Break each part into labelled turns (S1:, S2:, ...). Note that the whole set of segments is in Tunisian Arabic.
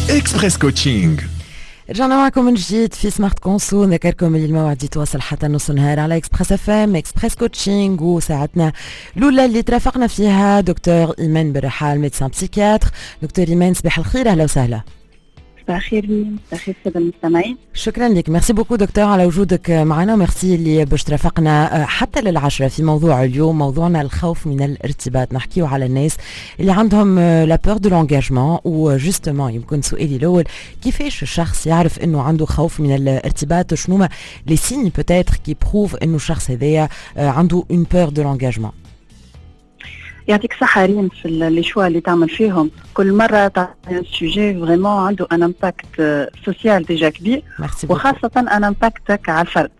S1: Express Coaching.
S2: رجعنا معكم من جديد في Smart Conso. نذكركم اللي الموعد يتواصل حتى نص النهار على Express FM، Express Coaching، وساعتنا الاولى اللي ترافقنا فيها دكتور ايمان بالرحال، médecin psychiatre. دكتور ايمان، صباح الخير، اهلا وسهلا.
S3: صباح الخير ريم، صباح الخير السادة المستمعين.
S2: شكرا لك، merci beaucoup دكتور على وجودك معنا، ميرسي اللي باش ترافقنا حتى لل10 في موضوع اليوم. موضوعنا الخوف من الارتباط، نحكيو على الناس اللي عندهم la peur de l'engagement. و justement يمكن سؤالي الاول، كيفاش الشخص يعرف انه عنده خوف من الارتباط؟ شنو les signes peut-être qui prouvent انه الشخص هذايا عنده une peur de l'engagement؟
S3: يعطيك صحة ريم في les choix اللي تعمل فيهم، كل مرة تعطي sujet vraiment عنده un impact social déjà كبير وخاصة un impact على الفرد.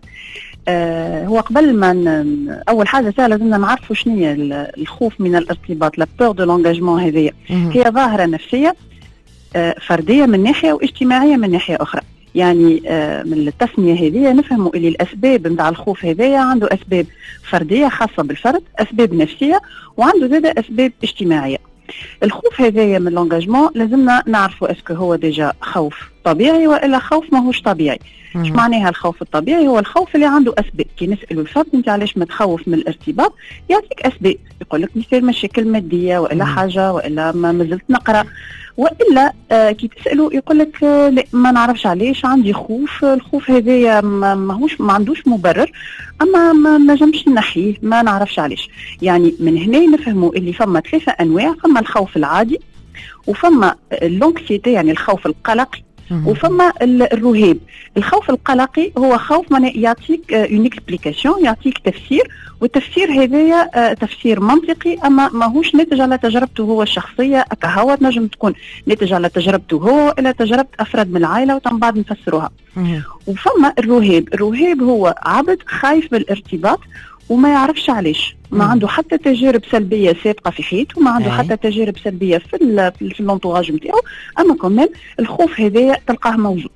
S3: هو قبل ما اول حاجة سهله، لازمنا نعرفوا شنو هي الخوف من الارتباط، la peur de l'engagement. هذه هي ظاهره نفسية فردية من ناحية واجتماعية من ناحية اخرى. يعني من التسمية هذه نفهموا اللي الاسباب نتاع الخوف هذايا عنده اسباب فردية خاصة بالفرد، اسباب نفسيه، وعنده زاد اسباب اجتماعيه. الخوف هذايا من l'engagement لازمنا نعرفوا est-ce que هو déjà خوف طبيعي والا خوف ماهوش طبيعي. ايش معناها الخوف الطبيعي؟ هو الخوف اللي عنده اسباب. كي نسالوا الفرد انت علاش متخوف من الارتباط، يعطيك اسباب، يقول لك مثال مشاكل مادية والا حاجة والا ما مازلت نقرا، والا كي تسالوا يقول لك لا، ما نعرفش علاش عندي خوف، الخوف هذايا ماهوش ما عندوش مبرر، اما ما نجمش نحيه، ما نعرفش علاش. يعني من هنا نفهموا اللي فما ثلاثة انواع: فما الخوف العادي، وفما l'anxiété يعني الخوف القلقي، وفما الرهاب. الخوف القلقي هو خوف معناه يعطيك une explication، يعطيك تفسير، والتفسير هذايا تفسير منطقي، اما ماهوش ناتج على تجربته هو الشخصية هو، تنجم تكون ناتج على تجربته هو الى تجربه افراد من العائله، ومن بعد نفسروها. وفما الرهاب، الرهاب هو عبد خايف من الارتباط وما يعرفش علاش، ما عنده حتى تجارب سلبية سابقه في حياته، ما عنده حتى تجارب سلبية في l'entourage نتاعو، اما quand même الخوف هذايا تلقاه موجود.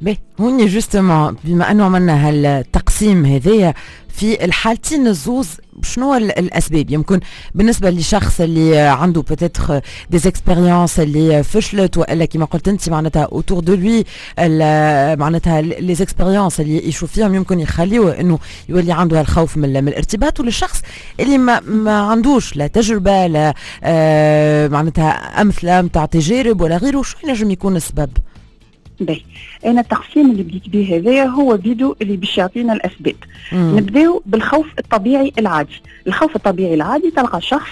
S2: باهي، هوني justement بما انه عملنا هالتقسيم هذايا، في الحالتين الزوز شنو الاسباب؟ يمكن بالنسبة لشخص اللي عنده peut-être des expériences اللي فشلت، والا كما قلت انت معناتها autour de lui، معناتها les expériences اللي يشوف فيهم يمكن يخليه انه يولي عنده الخوف من الارتباط، وللشخص اللي ما عندوش لا تجربه لا معناتها امثلة نتاع تجارب ولا غيره، شو ينجم يكون السبب؟
S3: باهي، انا التقسيم اللي بديت به هذايا هو فيديو اللي باش يعطينا الاسباب. نبداو بالخوف الطبيعي العادي. الخوف الطبيعي العادي تلقى شخص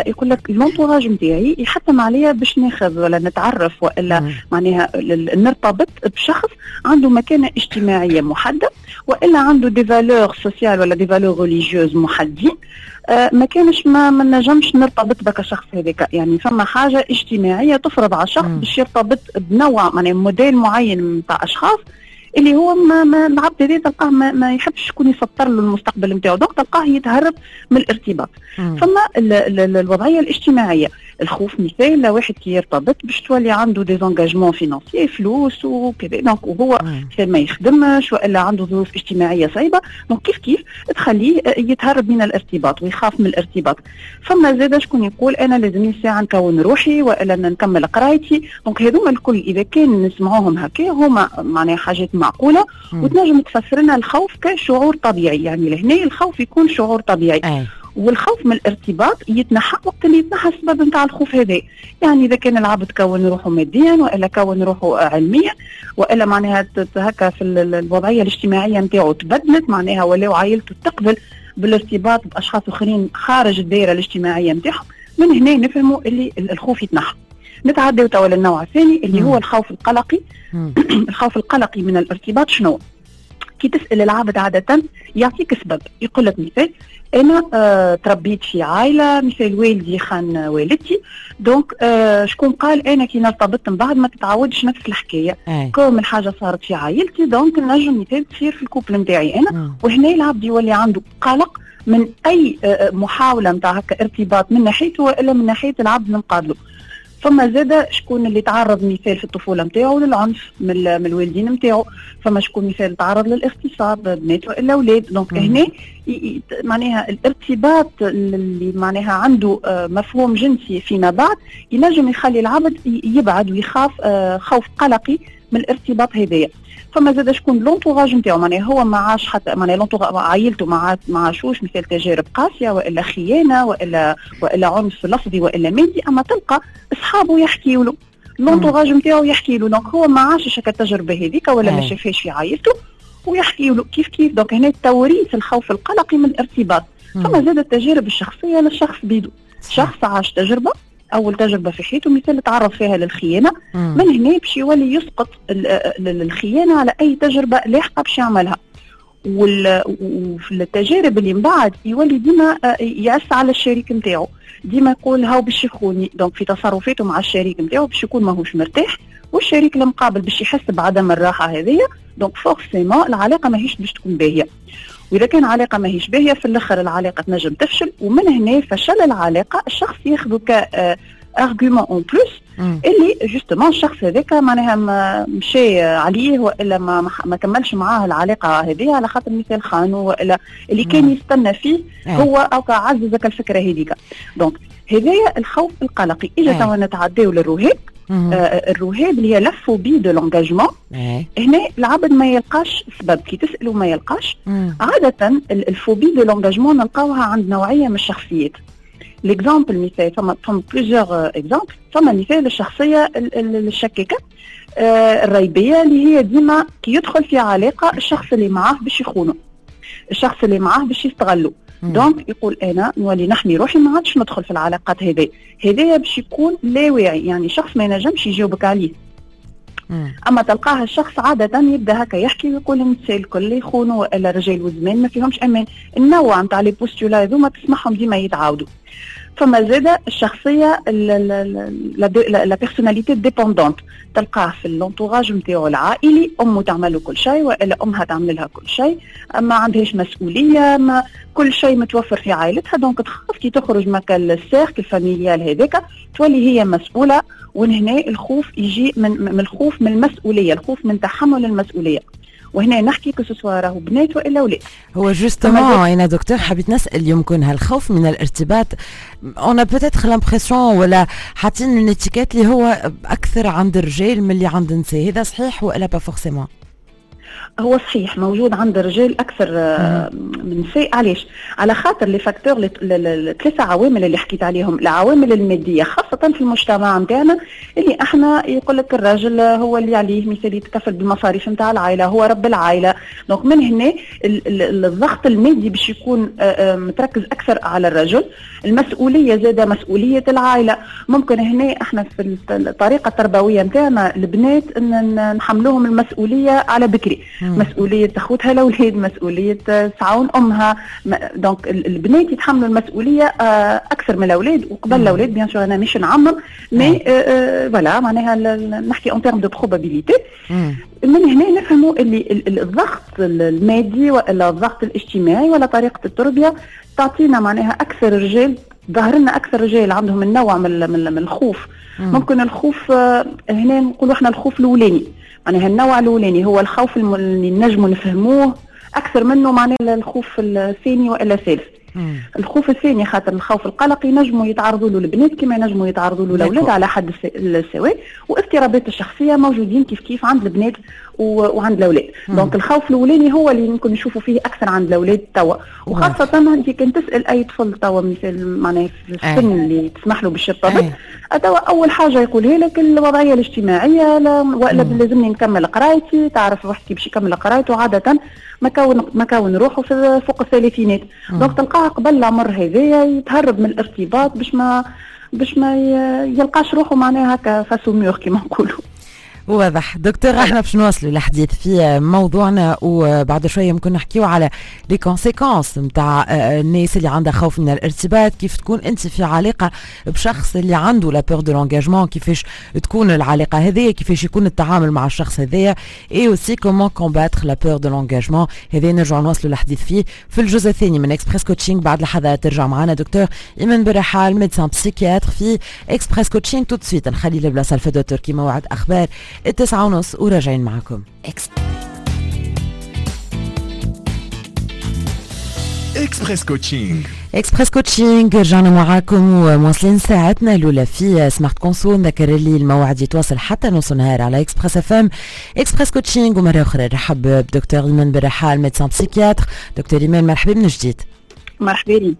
S3: يقول لك l'entourage نتاعي يحتم عليا باش ناخذ ولا نتعرف والا معناها نرتبط بشخص عنده مكانه اجتماعية محدده، والا عنده des valeurs sociales ولا des valeurs religieuses محددين، ما كانش ما نجمش نرتبط بك الشخص هذاك. يعني فما حاجة اجتماعية تفرض على الشخص باش يرتبط بنوع معناها موديل معين نتاع اشخاص، اللي هو ما العبد هذا تلقاه ما يحبش شكون يسطر له المستقبل نتاعو، donc تلقاه يتهرب من الارتباط. فما ال الوضعيه الاجتماعيه، الخوف مثال لواحد كي يرتبط باش تولي عنده des engagements financiers، فلوس وكذا، donc وهو ما يخدمش والا عنده ظروف اجتماعية صعيبه، donc كيف كيف تخليه يتهرب من الارتباط ويخاف من الارتباط. فما زاد شكون يقول انا لازمني ساعة نكون روحي والا نكمل قرايتي. donc هذوما الكل اذا كان نسمعوهم هكا هما معناها حاجات معقولة وتنجم تفسر لنا الخوف كشعور طبيعي. يعني لهنا الخوف يكون شعور طبيعي والخوف من الارتباط يتنحى وقت اللي يتنحى السبب نتاع الخوف هذا. يعني اذا كان العبد كون روحه ماديا والا كون روحه علميا، والا معناها هكا في الوضعية الاجتماعية نتاعو تبدلت، معناها ولاو عائلته تقبل بالارتباط باشخاص اخرين خارج الدائرة الاجتماعية نتاعهم، من هنا نفهموا اللي الخوف يتنحى. نتعداو توا للنوع الثاني اللي هو الخوف القلقي. الخوف القلقي من الارتباط شنو؟ كي تسال العبد عادة يعطيك سبب، يقول لك مثال انا تربيت في عائله، مثال والدي خان والدتي، donc شكون قال انا كي نرتبط من بعد ما تتعودش نفس الحكايه؟ comme الحاجة صارت في عائلتي، donc نجم مثال تصير في ال couple نتاعي انا. وهنا العبد يولي عنده قلق من اي محاولة نتاع هكا ارتباط من ناحيته والا من ناحية العبد من قابله. فما زاده شكون اللي تعرض مثال في الطفولة نتاعو للعنف من الوالدين نتاعو، فما شكون مثال تعرض للاغتصاب، بنات والا اولاد. donc هنا معناها الارتباط اللي معناها عنده مفهوم جنسي فيما بعد ينجم يخلي العبد يبعد ويخاف خوف قلقي من الارتباط هذايا. فما زاد شكون l'entourage نتاعو، معناها هو ما عاش حتى معناها l'entourage عائلته ما عاشوش مثال تجارب قاسية والا خيانة والا عنف لفظي والا مادي، اما تلقى اصحابه يحكيوا له، l'entourage نتاعو يحكي له، donc هو ما عاشش التجربة هذيك ولا ما شافهاش في عائلته ويحكي له كيف كيف. donc هنا توريث الخوف القلقي من الارتباط. فما زاد التجارب الشخصية للشخص بيدو، شخص عاش تجربه، اول تجربه في حياته مثال تعرض فيها للخيانه، من هنا باش يولي يسقط الخيانة على اي تجربه لاحقة باش يعملها. وفي التجارب اللي من بعد يولي ديما يعس على الشريك نتاعو، ديما يقول هاو باش يخوني، donc في تصرفاته مع الشريك نتاعو باش يكون ماهوش مرتاح، والشريك المقابل باش يحس بعدم الراحة هذيا، donc forcément العلاقة ماهيش باش تكون باهيه. واذا كان علاقة ماهيش باهيه في الاخر العلاقة تنجم تفشل، ومن هنا فشل العلاقة الشخص ياخذه ك argument en plus اللي justement الشخص هذاك معناها مشى عليه والا ما كملش معاه العلاقة هذه على خاطر مثال خانو والا اللي كان يستنى فيه هو او عززك الفكرة هذيك. donc هذايا الخوف القلقي. اجا توا نتعداو للرهاب. الرهاب اللي هي la phobie de l'engagement. هنا العبد ما يلقاش سبب، كي تساله ما يلقاش. عادة ال phobie de l'engagement نلقاوها عند نوعية من الشخصيات. l'exemple مثال، فما plusieurs exemples. فما مثال الشخصية الشكاكه الريبيه اللي هي ديما كي يدخل في علاقة الشخص اللي معاه باش يخونه، الشخص اللي معاه باش يستغلو، donc يقول انا نولي نحمي روحي، ما عادش ندخل في العلاقات. هذه هذايا باش يكون لا واعي، يعني شخص ما ينجمش يجاوبك عليه. اما تلقاه الشخص عادة يبدا هكا يحكي ويقول النساء الكل يخونوا والا رجال وزمان ما فيهمش امان. النوع نتاع les postulats هذوما تسمعهم ديما يتعاودوا. فما زاد الشخصية la personnalité dépendante، تلقاه في l'entourage نتاعو العائلي امه تعمل له كل شيء والا امها تعمل لها كل شيء، ما عندهاش مسؤوليه، ما كل شيء متوفر في عائلتها، donc تخاف كي تخرج من ال cercle familial هذاك تولي هي مسؤوله. وهنا الخوف يجي من الخوف من المسؤوليه، الخوف من تحمل المسؤوليه. وهنا نحكي que ce soit راهو بنات والا اولاد.
S2: هو justement انا دكتور حبيت نسال، يمكن هالخوف من الارتباط on a peut-être l'impression ولا حاطين une étiquette اللي هو اكثر عند الرجال من اللي عند النساء، هذا صحيح والا pas forcément؟
S3: هو صحيح موجود عند الرجال اكثر من النساء. علاش؟ على خاطر les facteurs، الثلاثة عوامل اللي حكيت عليهم، العوامل المادية خاصة في المجتمع نتاعنا اللي احنا يقول لك الراجل هو اللي عليه مثال يتكفل بالمصاريف نتاع العائله، هو رب العائله، donc من هنا الضغط المادي باش يكون متركز اكثر على الرجل. المسؤولية زاده، مسؤولية العائله، ممكن هنا احنا في الطريقة التربوية نتاعنا البنات ان نحملوهم المسؤولية على بكري، مسؤولية اخوتها الاولاد، مسؤولية تعاون امها، donc البنات يتحملوا المسؤولية اكثر من الاولاد وقبل الاولاد. bien sûr انا مش نعمم، mais voilà معناها نحكي en termes de probabilité. من هنا نفهموا اللي الضغط المادي ولا الضغط الاجتماعي ولا طريقه التربية تعطينا معناها اكثر رجال، ظهر لنا اكثر رجال عندهم النوع من الخوف. ممكن الخوف هنا نقولوا احنا الخوف الاولاني، معناها النوع الاولاني هو الخوف اللي نجموا نفهموه اكثر منه معناه الخوف الثاني والا الثالث. الخوف الثاني خاطر الخوف القلقي ينجموا يتعرضوا له البنات كما ينجموا يتعرضوا له الاولاد على حد السواء، واضطرابات الشخصية موجودين كيف كيف عند البنات وعند الاولاد. donc الخوف الاولاني هو اللي يمكن نشوفوا فيه اكثر عند الاولاد توا، وخاصة انت كان تسال اي طفل توا مثال معناها في السن اللي تسمح له باش يرتبط توا، اول حاجة يقولها لك الوضعية الاجتماعية والا لازمني نكمل قرايتي. تعرف واحد كي باش يكمل قرايته عادة ما كون روحه في فوق الثلاثينات، donc تلقاه قبل العمر هذايا يتهرب من الارتباط باش ما يلقاش روحه معناها هكا face au mur كيما نقولوا.
S2: واضح دكتور. احنا باش نواصلوا الحديث في موضوعنا وبعد شوية ممكن نحكيو على les conséquences نتاع الناس اللي عندها خوف من الارتباط، كيف تكون انت في علاقة بشخص اللي عنده la peur de l'engagement، كيفاش تكون العلاقة هذه، كيفاش يكون التعامل مع الشخص هذايا، et aussi comment combattre la peur de l'engagement. هذا نرجعوا نواصلوا الحديث فيه في الجزء الثاني من Express Coaching. بعد لحظات ترجع معنا دكتور ايمان برحال، médecin psychiatre في Express Coaching. tout de suite نخلي البلاصة لفدوى التركي، موعد اخبار 9:30 وراجعين معكم.
S1: Express Coaching.
S2: Express Coaching رجعنا معاكم ومواصلين ساعتنا الاولى في Smart Conso. نذكر اللي الموعد يتواصل حتى نص نهار على Express FM Express Coaching. ومرة اخرى نرحب بدكتور ايمان برحال، médecin psychiatre. دكتور ايمان مرحبا من جديد.
S3: مرحبا بك،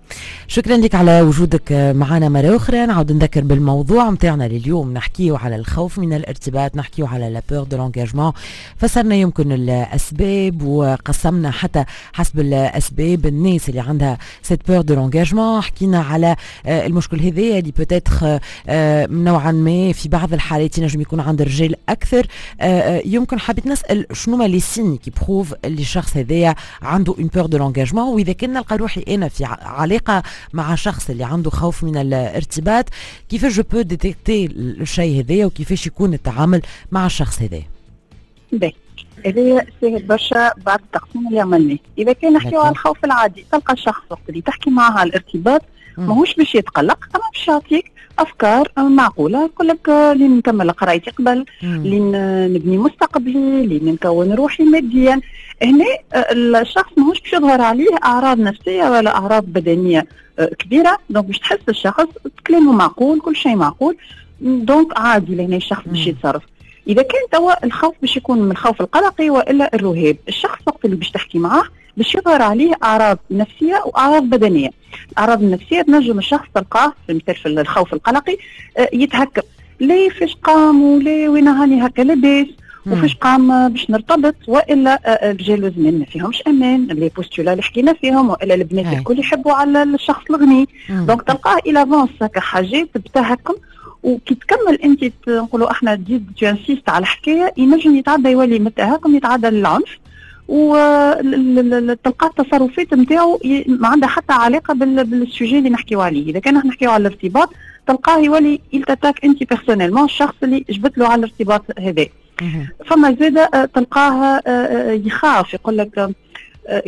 S2: شكرا لك على وجودك معنا مرة أخرى. نعود نذكر بالموضوع متاعنا لليوم، نحكيه على الخوف من الارتباط، نحكيه على la peur de l'engagement. فسرنا يمكن الأسباب وقسمنا حتى حسب الأسباب الناس اللي عندها cette peur de l'engagement. حكينا على المشكل هذايا اللي peut-être نوعا ما في بعض الحالات ينجم يكون عند الرجال أكثر. يمكن حبيت نسأل شنو ما les signes qui prouvent اللي الشخص هذايا عنده une peur de l'engagement، وإذا كان نلقى روحي أنا في علاقة مع شخص اللي عنده خوف من الارتباط، كيفاش je peux détecter الشيء هذايا وكيفاش يكون التعامل مع الشخص هذايا؟
S3: باهي، هذايا ساهل برشا بعد التقسيم اللي عملناه. إذا كان نحكيو على الخوف العادي، تلقى الشخص وقت اللي تحكي معاه على الارتباط ماهوش باش يتقلق، أما باش يعطيك أفكار معقولة، يقول لك لين نكمل قرايتي قبل، لين نبني مستقبلي، لين نكون روحي ماديا. هنا الشخص ماهوش باش يظهر عليه أعراض نفسية ولا أعراض بدنية كبيرة، donc باش تحس الشخص كلامه معقول، كل شيء معقول، donc عادي لهنا الشخص باش يتصرف. إذا كان توا الخوف باش يكون من الخوف القلقي وإلا الرهاب، الشخص وقت اللي باش تحكي معاه باش يظهر عليه أعراض نفسية وأعراض بدنية. الأعراض النفسية تنجم الشخص تلقاه في مثال في الخوف القلقي يتهكم، ليه فاش قام وليه وين هاني هكا لاباس وفاش قام باش نرتبط، والا الرجال زمان ما فيهمش امان، les postulats اللي حكينا فيهم، والا البنات الكل يحبوا على الشخص الغني. donc تلقاه il avance هكا حاجات بتهكم، وكي تكمل انت نقولوا احنا تزيد t'insistes على الحكاية، ينجم يتعدى يولي من التهكم يتعدى للعنف، وتلقى التصرفات نتاعو ما عندها حتى علاقة بال sujet اللي نحكيو عليه. اذا كان نحكيو على الارتباط تلقاه يولي il t'attaque انت personnellement الشخص اللي جبت له على الارتباط هذا. فما زاده تلقاه يخاف، يقول لك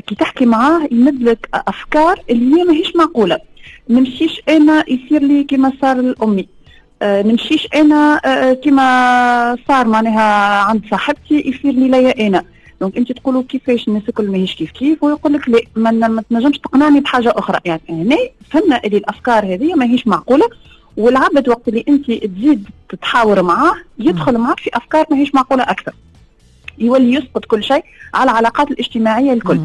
S3: كي تحكي معاه يمد لك افكار اللي هي ماهيش معقولة. نمشيش انا يصير لي كما صار لامي، نمشيش انا كما صار معناها عند صاحبتي يصير لي ليا انا. donc انت تقولوا كيفاش الناس الكل ماهيش كيف كيف، ويقول لك لا ما تنجمش تقنعني بحاجة اخرى. يعني هنا فهمنا اللي الافكار هذه ماهيش معقولة، والعبد وقت اللي انت تزيد تتحاور معاه يدخل معك في افكار ماهيش معقولة اكثر، يولي يسقط كل شيء على العلاقات الاجتماعية الكل.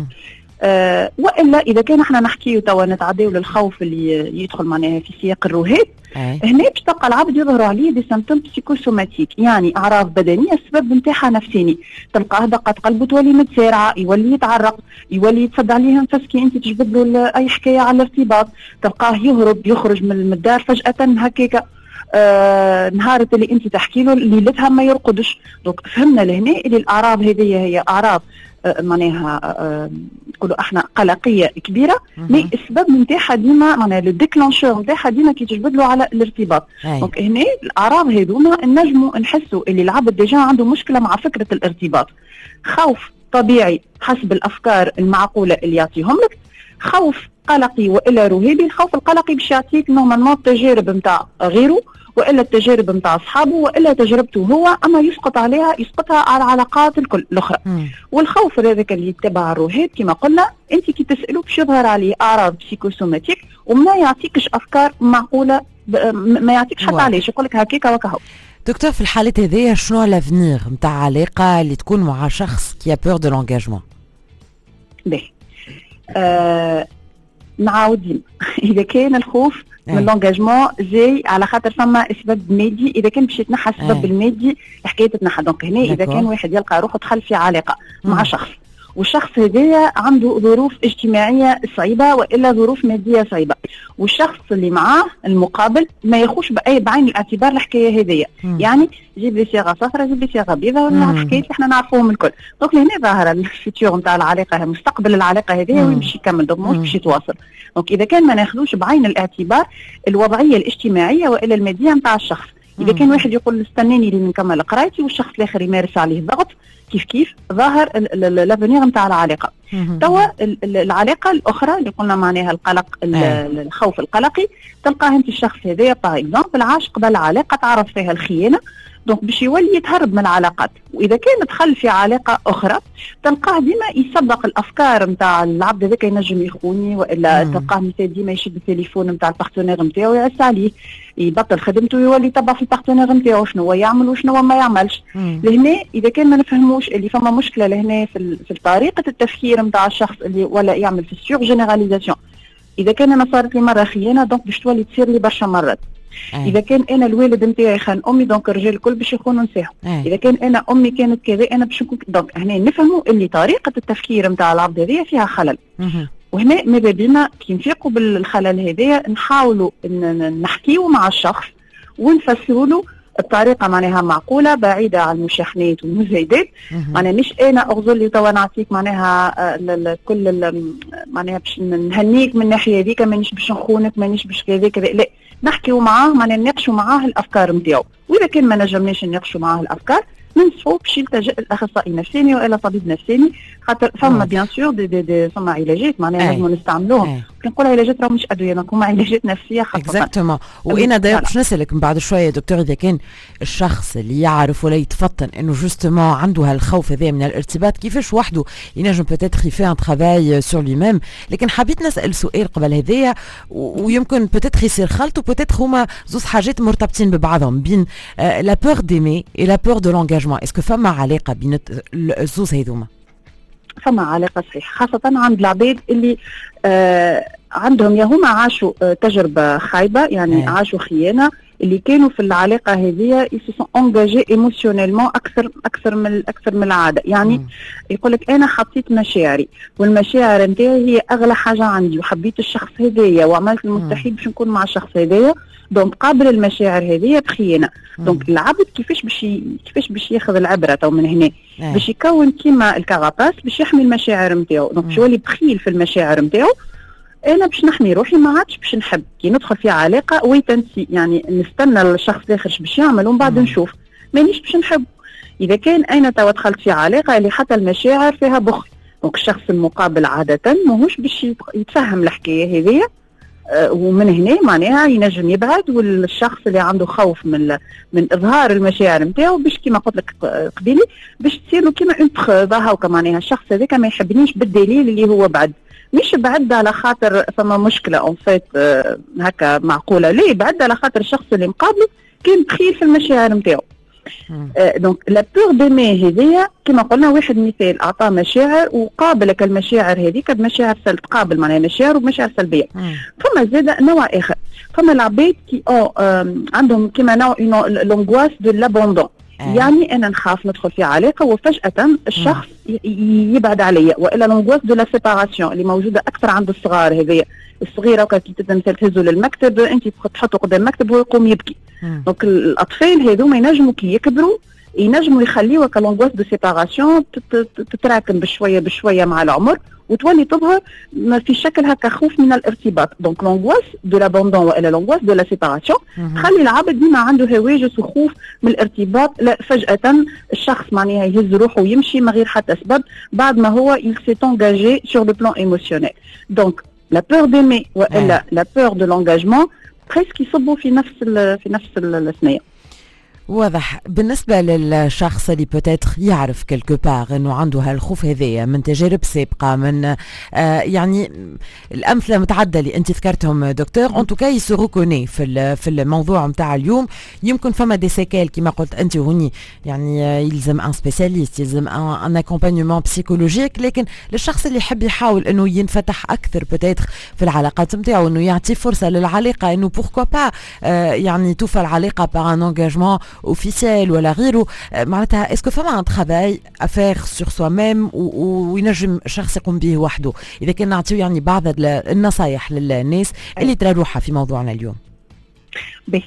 S3: والا اذا كان احنا نحكيو توا نتعداو للخوف اللي يدخل معناها في سياق الرهاب، هنا باش تلقى العبد يظهر عليه des symptômes psychosomatiques، يعني اعراض بدنية السبب نتاعها نفساني. تلقاه دقات قلبه تولي متسارعة، يولي يتعرق، يولي يتصدى عليه نفس كي انت تجبد له اي حكاية على الارتباط، تلقاه يهرب يخرج من الدار فجاة هكاكا. نهار اللي انت تحكي له ليلتها ما يرقدش. donc فهمنا لهنا اللي الاعراض هذه هي اعراض معناها نقولوا احنا قلقيه كبيرة، mais السبب نتاعها ديما معناها le déclencheur نتاعها ديما كي تجبد له على الارتباط. donc هنا الاعراض هذوما نجموا نحسوا اللي العبد déjà عنده مشكلة مع فكرة الارتباط. خوف طبيعي حسب الافكار المعقولة اللي يعطيهم لك، خوف قلقي والا رهيبي. الخوف القلقي باش يعطيك normalement التجارب نتاع غيره والا التجارب نتاع اصحابه والا تجربته هو، اما يسقط عليها يسقطها على العلاقات الكل الاخرى. والخوف هذاك اللي يتبع الرهاب كما قلنا انت كي تساله باش يظهر عليه اعراض psychosomatiques وما يعطيكش افكار معقولة، ما يعطيكش حتى علاش، يقول لك هكاك وكهو.
S2: دكتور في الحالات هذيا شنو l'avenir نتاع علاقة اللي تكون مع شخص qui a peur de l'engagement؟
S3: باهي نعاود اذا كان الخوف من l'engagement جاي على خاطر فما سبب مادي، اذا كان باش يتنحى السبب المادي الحكاية تتنحى. donc هنا اذا كان واحد يلقى روحه دخل في علاقة مع شخص والشخص هذايا عنده ظروف اجتماعية صعيبة والا ظروف مادية صعيبه، والشخص اللي معاه المقابل ما ياخوش بعين الاعتبار الحكاية هذيا. يعني جيب لي صيغة صفراء، جيب لي صيغة بيضاء، الحكايات اللي احنا نعرفوهم الكل. donc لهنا ظاهره ال futur نتاع العلاقه، مستقبل العلاقة هذيا وين باش يكمل، donc مش باش يتواصل. donc اذا كان ما ناخذوش بعين الاعتبار الوضعية الاجتماعية والا المادية نتاع الشخص، اذا كان واحد يقول استناني لين نكمل قرايتي والشخص الاخر يمارس عليه ضغط، كيف كيف ظاهر l'avenir نتاع العلاقه. توا العلاقة الاخرى اللي قلنا معناها القلق، الخوف القلقي، تلقاه انت الشخص هذايا par exemple عاش قبل علاقة تعرف فيها الخيانه، donc باش يولي يتهرب من العلاقات. واذا كان دخل في علاقة اخرى تلقاه ديما يسبق الافكار نتاع العبد هذاك ينجم يخوني، والا تلقاه مثال ديما يشد التليفون نتاع ال partenaire نتاعو يعس عليه، يبطل خدمته ويولي يتبع في ال partenaire نتاعو شنو هو يعمل وشنو هو ما يعملش. لهنا اذا كان ما نفهموش اللي فما مشكلة لهنا في طريقه التفكير نتاع الشخص اللي ولا يعمل في ال surgénéralisation، اذا كان انا صارت لي مرة خيانة donc باش تولي تصير لي برشا مرات. اذا كان انا الوالد نتاعي خان امي donc الرجال الكل باش يخونوا نساهم. اذا كان انا امي كانت كذا انا باش نكون. donc هنا نفهموا اللي طريقه التفكير نتاع العبد هذه فيها خلل. وهنا ماذا بينا كي نفيقوا بالخلل هذايا نحاولوا نحكيو مع الشخص ونفسروا له بطريقة معناها معقولة بعيدة عن المشاحنات والمزايدات. معناها مش انا اغزر لي توا نعطيك معناها كل معناها باش نهنيك من الناحية هذيك، مانيش باش نخونك، مانيش باش كذا كذا، لا، نحكيو معاه معناها نناقشوا معاه الافكار نتاعو. واذا كان ما نجمناش نناقشوا معاه الافكار ننصحوا باش يلتجئ الاخصائي النفساني والا طبيب نفساني، خاطر فما bien sûr des فما علاجات معناها لازم نستعملوهم. كي نقول علاجات راه مش ادويه، donc هما علاجات نفسية خاصه.
S2: exactement. وانا d'ailleurs باش نسالك من بعد شوية دكتور، اذا كان الشخص اللي يعرف ولا يتفطن انه justement عنده هالخوف هذا من الارتباط، كيفاش وحده ينجم peut-être il fait un travail sur lui-même؟ لكن حبيت نسال سؤال قبل هذايا، ويمكن peut-être يصير خلط و peut-être هما زوز حاجات مرتبطين ببعضهم، بين la peur d'aimer et la peur de l'engagement، est-ce que فما علاقة بين الزوز هذوما؟
S3: فما علاقة صحيح، خاصة عند العباد اللي عندهم يا هما عاشوا تجربه خايبه، يعني عاشوا خيانه، اللي كانوا في العلاقة هذه ils se sont engagés émotionnellement اكثر من العاده. يعني يقول لك انا حطيت مشاعري والمشاعر نتاعي هي اغلى حاجة عندي، وحبيت الشخص هذايا وعملت المستحيل باش نكون مع الشخص هذايا، donc قابل المشاعر هذه بخيانه. donc العبد كيفاش باش ياخذ العبرة تو من هنا؟ باش يكون كيما ال carapace باش يحمي المشاعر نتاعو، donc باش يولي بخيل في المشاعر نتاعو. انا باش نحمي روحي ما عادش باش نحب، كي ندخل في علاقة wait and see، يعني نستنى الشخص الاخر باش يعمل ومن بعد نشوف، مانيش باش نحب. اذا كان انا توا دخلت في علاقة اللي حتى المشاعر فيها بخل، donc الشخص المقابل عادة ماهوش باش يتفهم الحكاية هذيا، ومن هنا معناها ينجم يبعد. والشخص اللي عنده خوف من اظهار المشاعر نتاعو باش كيما قلت لك قبيلي باش تصير له كيما une preuve هاكا، معناها الشخص هذاك ما يحبنيش بالدليل اللي هو بعد، مش بعد على خاطر فما مشكلة en fait هكا معقوله، ليه بعد؟ على خاطر الشخص اللي مقابله كان بخيل في المشاعر نتاعو. donc la peur d'aimer هذيا كما قلنا واحد مثال اعطاه مشاعر وقابلك المشاعر هذيك بمشاعر سلب، تقابل معناها مشاعر ومشاعر سلبيه. فما زاد نوع اخر، فما العباد qui عندهم كما نوع l'angoisse de l'abandon، يعني انا نخاف ندخل في علاقة وفجاة الشخص يبعد عليا، والا l'angoisse de la séparation اللي موجودة اكثر عند الصغار هذيا. الصغيرة وكي تبدا مثلا تهزه للمكتب، انت تحطه قدام المكتب وهو يقوم يبكي. donc الاطفال هذوما ينجموا كي يكبروا ينجموا يخليوا l'angoisse de séparation تتراكم بشوية بشوية مع العمر وتولي تظهر في شكل هكا خوف من الارتباط. donc l'angoisse de l'abandon والا l'angoisse de la séparation تخلي العبد ديما عنده هواجس وخوف من الارتباط، لا فجاة الشخص معناها يهز روحه ويمشي من غير حتى سبب بعد ما هو il s'est engagé sur le plan émotionnel. donc la peur d'aimer والا la peur de l'engagement presque يصبوا في نفس الثنيه.
S2: واضح. بالنسبة للشخص اللي peut-être يعرف quelque part انه عنده هالخوف هذايا من تجارب سابقة، من يعني الأمثلة متعددة اللي أنت ذكرتهم دكتور، en tout cas il se reconnaît في الموضوع نتاع اليوم، يمكن فما des séquelles كما قلت أنت هوني، يعني يلزم un spécialiste، يلزم un accompagnement psychologique. لكن للشخص اللي يحب يحاول انه ينفتح اكثر peut-être في العلاقات نتاعو، انه يعطي فرصة للعلاقه، انه pourquoi pas يعني توفى العلاقة par un engagement. officiel ولا غيره، معناتها est-ce que فما un travail à faire sur soi-même وينجم شخص يقوم به وحده؟ اذا كان نعطيو يعني بعض النصائح للناس اللي ترى روحها في موضوعنا اليوم.
S3: به،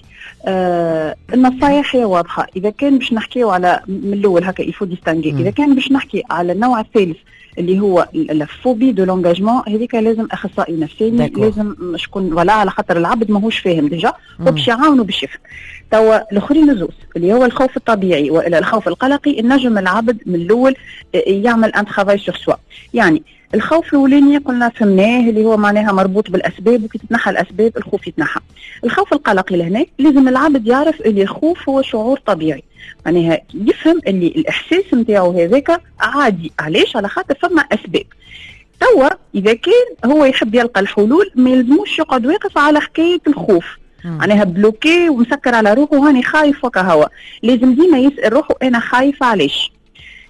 S3: النصائح هي واضحه. اذا كان باش نحكيو على من الاول هكا il faut distinguer، اذا كان باش نحكي على النوع الثالث اللي هو la phobie de l'engagement، هذيك لازم اخصائي نفساني، لازم شكون ولا على خاطر العبد ماهوش فاهم déjà وباش يعاونوا باش يفهم. توا الاخرين الزوز اللي هو الخوف الطبيعي والى الخوف القلقي، النجم العبد من الاول يعمل un travail sur soi. يعني الخوف الاولاني قلنا فهمناه، اللي هو معناها مربوط بالاسباب، وكي تتنحى الاسباب الخوف يتنحى. الخوف القلقي لهنا لازم العبد يعرف اللي الخوف هو شعور طبيعي، معناها يفهم اللي الاحساس نتاعو هذاك عادي. علاش؟ على خاطر فما اسباب. توا اذا كان هو يحب يلقى الحلول ما يلزموش يقعد واقف على حكاية الخوف، معناها bloqué ومسكر على روحه، هاني خايف وكهو. لازم ديما يسال روحه انا خايف علاش؟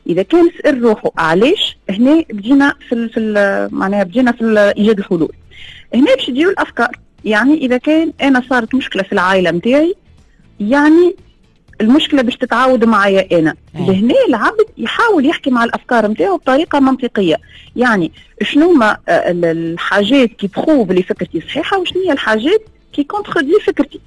S3: اذا كان سال روحه علاش، هنا بدينا في معناها بدينا في ايجاد الحلول. هنا باش تجيو الافكار، يعني اذا كان انا صارت مشكلة في العائلة نتاعي، يعني المشكلة باش تتعاود معايا انا. لهنا العبد يحاول يحكي مع الافكار نتاعو بطريقة منطقيه، يعني شنو ما الحاجات qui prouvent اللي فكرتي صحيحه وشنو هي الحاجات qui contredisent فكرتي.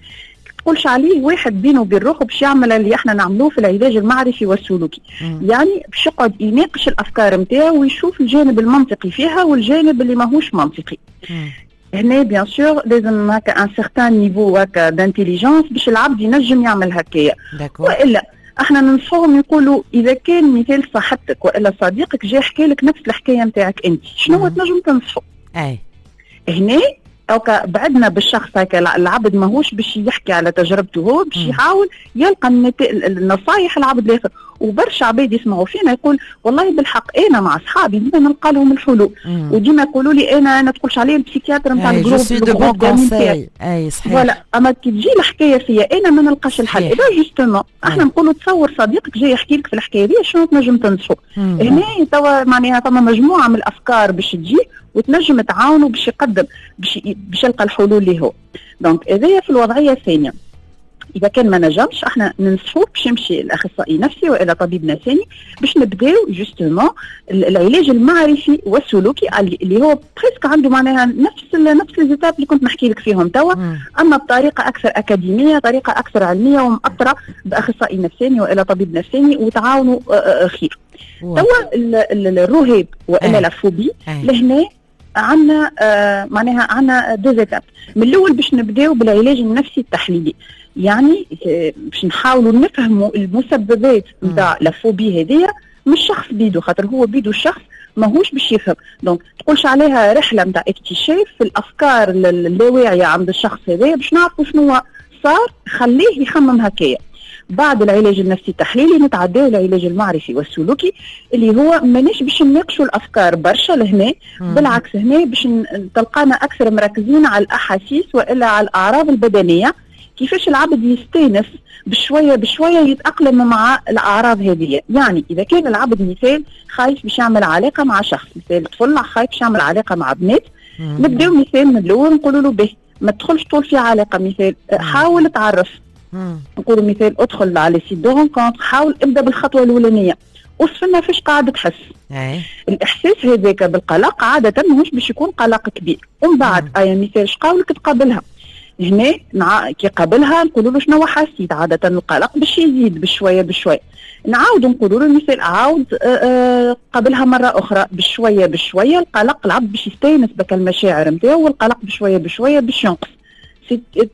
S3: تقولش عليه واحد بينه وبين روحه باش يعمل اللي احنا نعملوه في العلاج المعرفي والسلوكي. يعني باش يقعد يناقش الافكار نتاعو ويشوف الجانب المنطقي فيها والجانب اللي ماهوش منطقي. هنا bien sûr لازم هكا un certain niveau هكا d'intelligence باش العبد ينجم يعمل هكايا. والا احنا ننصحهم يقولوا اذا كان مثال صاحبتك والا صديقك جاي حكى لك نفس الحكاية نتاعك انت، شنو تنجم تنصحه؟ هنا اوكا بعدنا بالشخص هكا، العبد ماهوش باش يحكي على تجربته هو، باش يحاول يلقى النصايح العبد الاخر. وبرشا عباد يسمعوا فينا يقول والله بالحق انا مع اصحابي ديما نلقى لهم الحلول، وديما يقولوا لي انا تقولش عليه ال psychiatre نتاع ال groupe.
S2: اي صحيح.
S3: voilà، اما كي تجي الحكاية فيا انا ما نلقاش الحل. اذا justement احنا نقولوا تصور صديقك جاي يحكي لك في الحكاية دي، شنو تنجم تنصحه؟ هنا توا معناها فما مجموعة من الافكار باش تجي وتنجم تعاونه باش يقدم باش يلقى الحلول اللي هو. donc هذايا في الوضعية الثانيه. اذا كان ما نجمش، احنا ننصحوه باش يمشي لاخصائي نفسي والا طبيب نفساني باش نبداو justement العلاج المعرفي والسلوكي اللي هو presque عنده معناها نفس les étapes اللي كنت نحكي لك فيهم توا، اما بطريقة اكثر اكاديميه، طريقه اكثر علمية ومأطره باخصائي نفساني والا طبيب نفساني وتعاونوا خير. توا الرهاب والا la phobie، لهنا عندنا معناها عندنا deux étapes. من الاول باش نبداو بالعلاج النفسي التحليلي، يعني باش نحاولوا نفهموا المسببات نتاع la phobie هذيا مش شخص بيدو، خاطر هو بيدو الشخص ماهوش باش يفهم. donc تقولش عليها رحله نتاع اكتشاف في الافكار اللاواعيه عند الشخص هذايا باش نعرفوا شنو صار خليه يخمم هكايا. بعد العلاج النفسي التحليلي نتعداو العلاج المعرفي والسلوكي اللي هو مانيش باش نناقشوا الافكار برشا لهنا، بالعكس هنا باش تلقانا اكثر مركزين على الاحاسيس والا على الاعراض البدنيه، كيفاش العبد يستانس بشوية بشوية يتاقلم مع الاعراض هذه. يعني اذا كان العبد مثال خايف باش يعمل علاقة مع شخص، مثال طفل خايف باش يعمل علاقة مع بنات، نبداو مثال من الاول نقولوا له به ما تدخلش طول في علاقة، مثال حاول تعرف، نقولوا مثال ادخل على site de rencontre، حاول ابدا بالخطوه الاولانية، وصف لنا فاش قاعد تحس. الاحساس هذاك بالقلق عادة ماهوش باش يكون قلق كبير، ومن بعد اي مثال شقاولك تقابلها، هنا كي قابلها نقولوا له شنو حسيت، عادة القلق باش يزيد بشوية بشوية. نعاود نقولوا له مثال عاود قابلها مرة اخرى بشوية بشوية، القلق العبد باش يستانس بك المشاعر نتاعو، والقلق بشوية بشوية باش ينقص.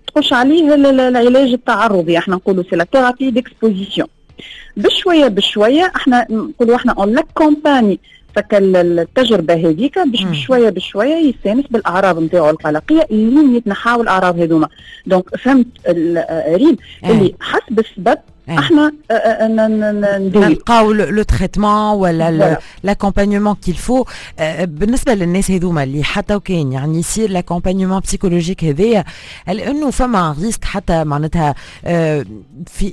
S3: تقولش عليه العلاج التعرضي، احنا نقولوا c'est la thérapie d'exposition. بشوية بشوية احنا نقولوا احنا on l'accompagne فك التجربة هذيك باش بشوية بشوية يستانس بالاعراض نتاعو القلقيه اللي يتنحاو الاعراض هذوما. donc فهمت ريم اللي حسب السبب احنا
S2: نلقاو le traitement ولا l'accompagnement qu'il faut. بالنسبة للناس هذوما اللي حتى وكان يعني يصير l'accompagnement psychologique هذايا، هل انه فما risque حتى معناتها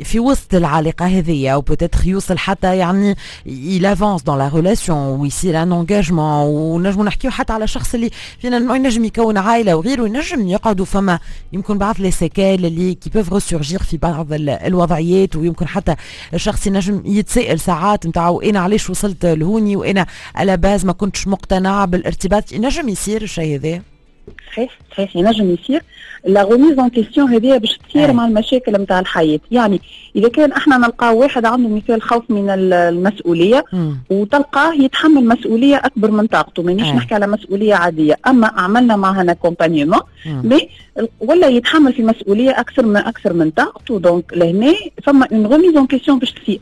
S2: في وسط العلاقة هذيا او peut-être يوصل حتى يعني il avance dans la relation ويصير un engagement، ونجمو نحكيو حتى على شخص اللي فينا ينجم يكون عائلة وغيره، ينجم يقعدوا فما يمكن بعض les séquelles اللي qui peuvent ressurgir في بعض الوضعيات؟ ويمكن حتى الشخص ينجم يتساءل ساعات نتاع انا علاش وصلت لهوني وانا à la base ما كنتش مقتنع بالارتباط. ينجم يصير الشيء هذا؟
S3: صحيح، ينجم يصير. la remise en question هذه باش تصير مع المشاكل نتاع الحياه. يعني اذا كان احنا نلقاو واحد عنده مثال خوف من المسؤولية وتلقاه يتحمل مسؤولية اكبر من طاقته، مانيش نحكي على مسؤولية عاديه، اما عملنا معها accompagnement mais ولا يتحمل في مسؤولية اكثر من طاقته، donc لهنا فما une remise en question باش تصير.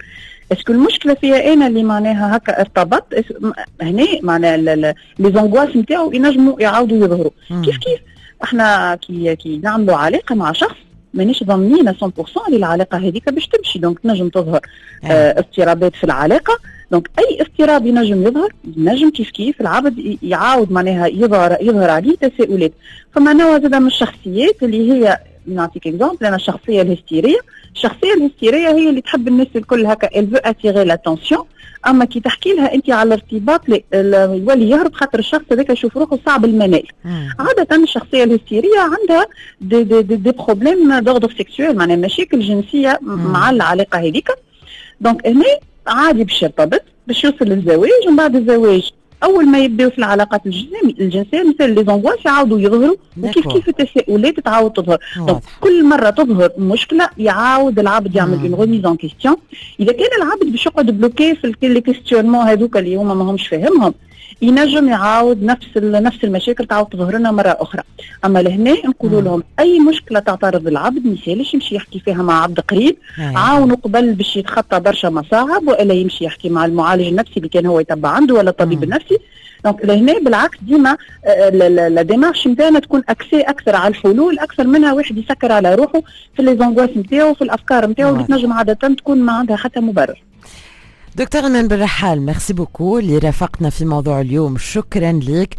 S3: est-ce que المشكلة فيها انا اللي معناها هكا ارتبطت؟ هنا معناها les angoisses نتاعو ينجموا يعاودوا يظهروا. كيف كيف احنا كي نعملوا علاقة مع شخص مانيش ضامنين 100% اللي العلاقة هذيك باش تمشي، donc تنجم تظهر اضطرابات في العلاقه. donc اي اضطراب ينجم يظهر، ينجم كيف كيف العبد يعاود معناها يظهر عليه تساؤلات. فما نوع زاد من الشخصيات اللي هي، نعطيك exemple انا، الشخصية الهستيريه. الشخصية الهستيريه هي اللي تحب الناس الكل هكا، elle veut attirer l'attention، اما كي تحكي لها انت على الارتباط يولي يهرب، خاطر الشخص هذاك يشوف روحه صعب المنال. عادة الشخصية الهستيريه عندها des problèmes d'ordre sexuel، معناها مشاكل جنسية مع العلاقة هذيك. donc هنا عادي باش يرتبط، باش يوصل للزواج، ومن بعد الزواج اول ما يبداو في العلاقات الجنسيه مثل les angoisses يعاودوا يظهروا، وكيف كيف التساؤلات تعاود تظهر. donc كل مرة تظهر مشكلة يعاود العبد يعمل une remise en question. اذا كان العبد باش يقعد bloqué في les questionnements هذوك اللي هما ماهمش فاهمهم، ينجم يعاود نفس المشاكل تعاود تظهر لنا مرة اخرى. اما لهنا نقولوا لهم اي مشكلة تعترض العبد ما يسالش يمشي يحكي فيها مع عبد قريب عاونوا قبل باش يتخطى برشا مصاعب، والا يمشي يحكي مع المعالج النفسي اللي كان هو يتبع عنده ولا الطبيب النفسي. donc لهنا بالعكس ديما la démarche نتاعنا تكون axée اكثر على الحلول اكثر منها واحد يسكر على روحه في les angoisses نتاعو، في الافكار نتاعو اللي تنجم عادة تكون ما عندها حتى مبرر.
S2: دكتور ايمان بالرحال، merci beaucoup اللي رافقتنا في موضوع اليوم، شكرا لك.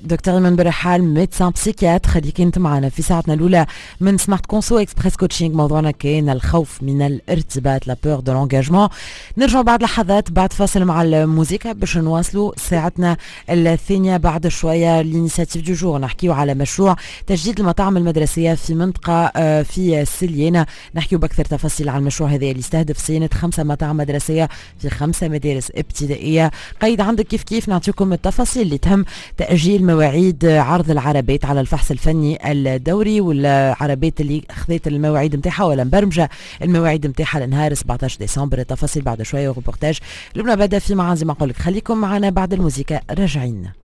S2: دكتور ايمان بالرحال، médecin psychiatre، اللي كنت معنا في ساعتنا الاولى من Smart Conso Express Coaching. موضوعنا كان الخوف من الارتباط، la peur de l'engagement. نرجع بعد لحظات، بعد فاصل مع الموسيقى، باش نواصلوا ساعتنا الثانية بعد شويه. l'initiative du jour، نحكيو على مشروع تجديد المطاعم المدرسية في منطقة في سليانه. نحكيو باكثر تفاصيل على المشروع هذا اللي يستهدف صيانة خمسة مطاعم مدرسيه في خمسة مدارس ابتدائية. قيد عندك كيف كيف نعطيكم التفاصيل اللي تهم تأجيل مواعيد عرض العربات على الفحص الفني الدوري، والعربات اللي خذت المواعيد نتاعها ولا مبرمجة المواعيد نتاعها لنهار 17 ديسمبر. التفاصيل بعد شوية، وروبورتاج لبنى بدا في معان. زي ما نقول لك، خليكم معنا، بعد الموسيقى راجعين.